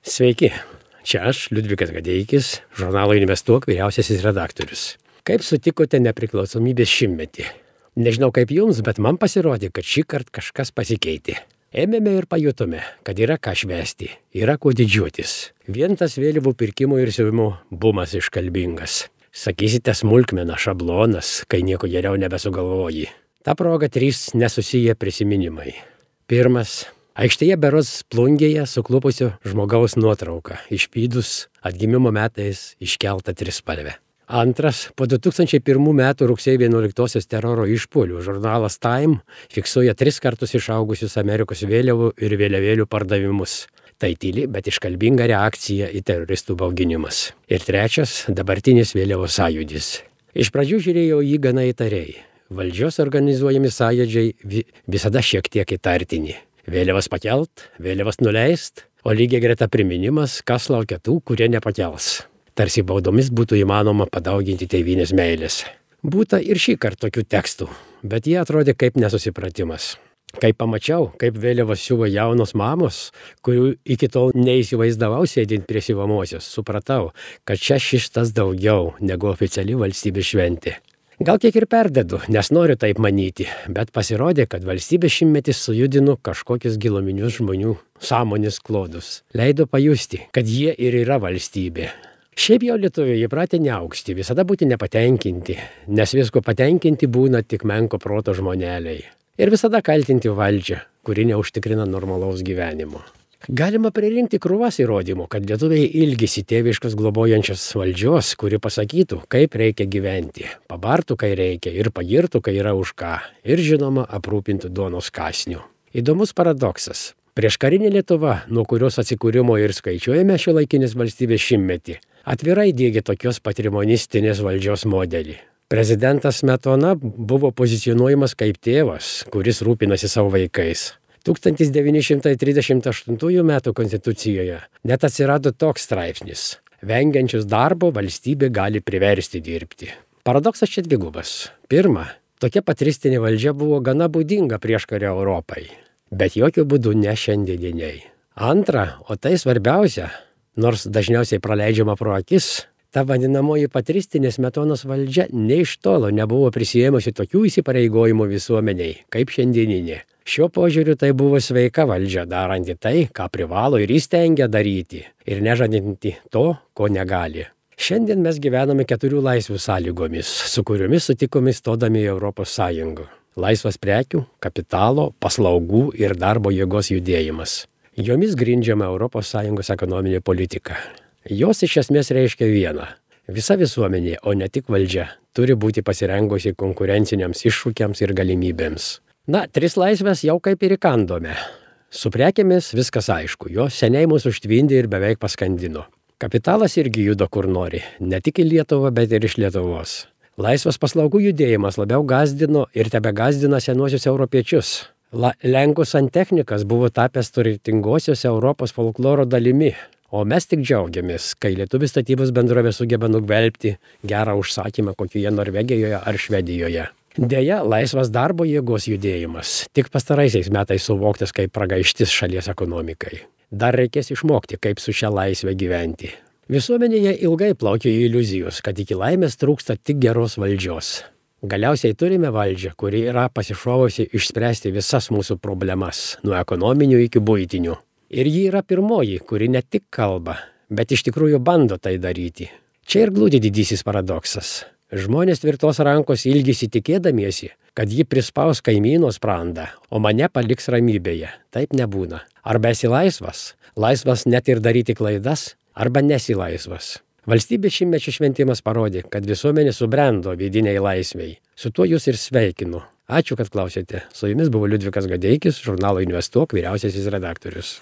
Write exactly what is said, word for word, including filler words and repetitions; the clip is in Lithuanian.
Sveiki, čia aš, Liudvikas Gadeikis, žurnalo Investuok vyriausiasis redaktorius. Kaip sutikote nepriklausomybės šimtmetį? Nežinau kaip jums, bet man pasirodė, kad šį kartą kažkas pasikeitė. Ėmėme ir pajutome, kad yra ką švęsti, yra kuo didžiuotis. Vien tas vėliavų pirkimo ir siuvimo bumas iškalbingas. Sakysite smulkmena, šablonas, kai nieko geriau nebesugalvoji. Ta proga trys nesusiję prisiminimai. Pirmas. Aikštėje berods plungėje suklupusio žmogaus nuotrauka, išpydus atgimimo metais iškeltą trispalvę. Antras, po du tūkstančiai pirmų metų rugsėjo vienuoliktosios teroro išpuolių žurnalas Time fiksuoja tris kartus išaugusius Amerikos vėliavų ir vėliavėlių pardavimus. Tai tyli, bet iškalbinga reakcija į teroristų bauginimus. Ir trečias, dabartinis vėliavos sąjūdis. Iš pradžių žiūrėjau jį gana įtariai. Valdžios organizuojami sąjūdžiai visada šiek tiek įtartini. Vėliavas pakelt, vėliavas nuleist, o lygiai greta priminimas, kas laukia tų, kurie nepakels. Tarsi baudomis būtų įmanoma padauginti tėvynės meilės. Būta ir šį kartą tokių tekstų, bet jie atrodė kaip nesusipratimas. Kai pamačiau, kaip vėliavas siuvo jaunos mamos, kurių iki tol neįsivaizdavau sėdint prie siuvamosios, supratau, kad čia šis daugiau negu oficiali valstybės šventė. Gal kiek ir perdedu, nes noriu taip manyti, bet pasirodė, kad valstybės šimtmetis sujudino kažkokius giluminius žmonių sąmonės klodus. Leido pajusti, kad jie ir yra valstybė. Šiaip jau lietuviai įpratę neaukšti, visada būti nepatenkinti, nes visko patenkinti būna tik menko proto žmoneliai. Ir visada kaltinti valdžią, kuri neužtikrina normalaus gyvenimo. Galima pririnkti krūvas įrodymų, kad lietuviai ilgisi tėviškos globojančios valdžios, kuri pasakytų, kaip reikia gyventi, pabartų, kai reikia, ir pagirtų, kai yra už ką, ir žinoma, aprūpintų duonos kąsniu. Įdomus paradoksas. Prieškarinė Lietuva, nuo kurios atsikūrimo ir skaičiuojame šiuolaikinės valstybės šimtmetį, atvirai diegia tokios patrimonistinės valdžios modelį. Prezidentas Smetona buvo pozicionuojamas kaip tėvas, kuris rūpinasi savo vaikais. tūkstantis devyni šimtai trisdešimt aštuntųjų metų konstitucijoje net atsirado toks straipsnis. Vengiančius darbo valstybė gali priversti dirbti. Paradoksas čia dvigubas. Pirma, tokia patristinė valdžia buvo gana būdinga prieškario Europai, bet jokių būdų ne šiandieniai. Antra, o tai svarbiausia, nors dažniausiai praleidžiama pro akis, ta vadinamoji patristinė Smetonos valdžia nė iš tolo nebuvo prisijėmusi tokių įsipareigojimų visuomeniai, kaip šiandieninė. Šiuo požiūriu tai buvo sveika valdžia, daranti tai, ką privalo ir įstengia daryti, ir nežadinti to, ko negali. Šiandien mes gyvename keturių laisvių sąlygomis, su kuriomis sutikome stodami į Europos Sąjungą. Laisvas prekių, kapitalo, paslaugų ir darbo jėgos judėjimas. Jomis grindžiama Europos Sąjungos ekonominė politika. Jos iš esmės reiškia vieną. Visa visuomenė, o ne tik valdžia, turi būti pasirengusi konkurenciniams iššūkiams ir galimybėms. Na, tris laisvės jau kaip ir įkandome. Su prekėmis viskas aišku, jos seniai mūsų užtvindė ir beveik paskandino. Kapitalas irgi juda kur nori, ne tik į Lietuvą, bet ir iš Lietuvos. Laisvas paslaugų judėjimas labiau gazdino ir tebegazdina senuosius europiečius. La, Lenkų santechnikas buvo tapęs turtingosios Europos folkloro dalimi. O mes tik džiaugiamės, kai lietuvių statybos bendrovė sugeba nugvelbti gerą užsakymą kokioje Norvegijoje ar Švedijoje. Deja, laisvas darbo jėgos judėjimas tik pastaraisiais metais suvoktas kaip pragaištis šalies ekonomikai. Dar reikės išmokti, kaip su šia laisve gyventi. Visuomenėje ilgai plaukė iliuzijos, kad iki laimės trūksta tik geros valdžios. Galiausiai turime valdžią, kuri yra pasišovusi išspręsti visas mūsų problemas, nuo ekonominių iki buitinių. Ir ji yra pirmoji, kuri ne tik kalba, bet iš tikrųjų bando tai daryti. Čia ir glūdi didysis paradoksas. Žmonės tvirtos rankos ilgisi tikėdamiesi, kad ji prispaus kaimyno sprandą, o mane paliks ramybėje. Taip nebūna. Arba esi laisvas, laisvas net ir daryti klaidas, arba nesi laisvas. Valstybės šimtmečio šventimas parodė, kad visuomenė subrendo vidiniai laisvei. Su tuo jūs ir sveikinu. Ačiū, kad klausėte. Su jumis buvo Liudvikas Gadeikis, žurnalo Investuok vyriausiasis redaktorius.